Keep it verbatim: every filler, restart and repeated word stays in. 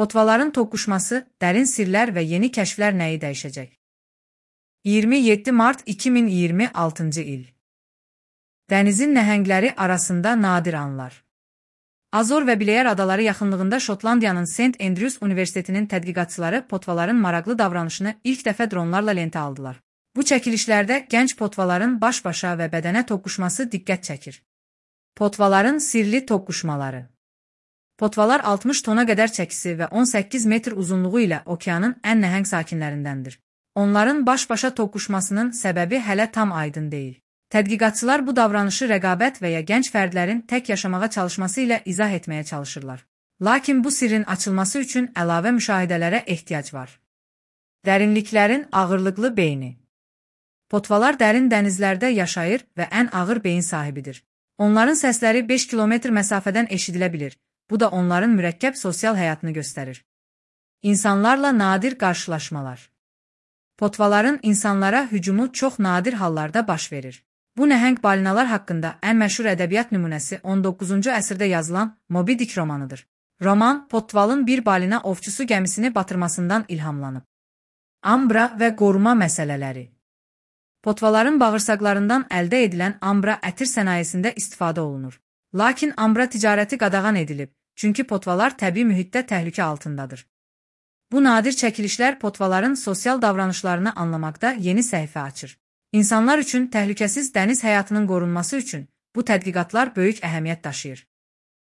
Potvaların toqquşması, dərin sirlər və yeni kəşflər nəyi dəyişəcək? iyirmi yeddi mart iki min iyirmi altıncı il. Dənizin nəhəngləri arasında nadir anlar. Azor və Bileyər adaları yaxınlığında Şotlandiyanın Saint Andrews Universitetinin tədqiqatçıları potvaların maraqlı davranışını ilk dəfə dronlarla lentə aldılar. Bu çəkilişlərdə gənc potvaların baş-başa və bədənə toqquşması diqqət çəkir. Potvaların sirli toqquşmaları. Potvalar altmış tona qədər çəkisi və on səkkiz metr uzunluğu ilə okeanın ən nəhəng sakinlərindəndir. Onların baş-başa toqquşmasının səbəbi hələ tam aydın deyil. Tədqiqatçılar bu davranışı rəqabət və ya gənc fərdlərin tək yaşamağa çalışması ilə izah etməyə çalışırlar. Lakin bu sirrin açılması üçün əlavə müşahidələrə ehtiyac var. Dərinliklərin ağırlıqlı beyni. Potvalar dərin dənizlərdə yaşayır və ən ağır beyin sahibidir. Onların səsləri beş kilometr məsafədən eşidilə bilir. Bu da onların mürəkkəb sosial həyatını göstərir. İnsanlarla nadir qarşılaşmalar. Potvaların insanlara hücumu çox nadir hallarda baş verir. Bu nəhəng balinalar haqqında ən məşhur ədəbiyyat nümunəsi on doqquzuncu əsrdə yazılan Moby Dick romanıdır. Roman, potvalın bir balina ovçusu gəmisini batırmasından ilhamlanıb. Ambra və qoruma məsələləri. Potvaların bağırsaqlarından əldə edilən ambra ətir sənayesində istifadə olunur. Lakin ambra ticarəti qadağan edilib, çünki potvalar təbii mühitdə təhlükə altındadır. Bu nadir çəkilişlər potvaların sosial davranışlarını anlamaqda yeni səhifə açır. İnsanlar üçün təhlükəsiz dəniz həyatının qorunması üçün bu tədqiqatlar böyük əhəmiyyət daşıyır.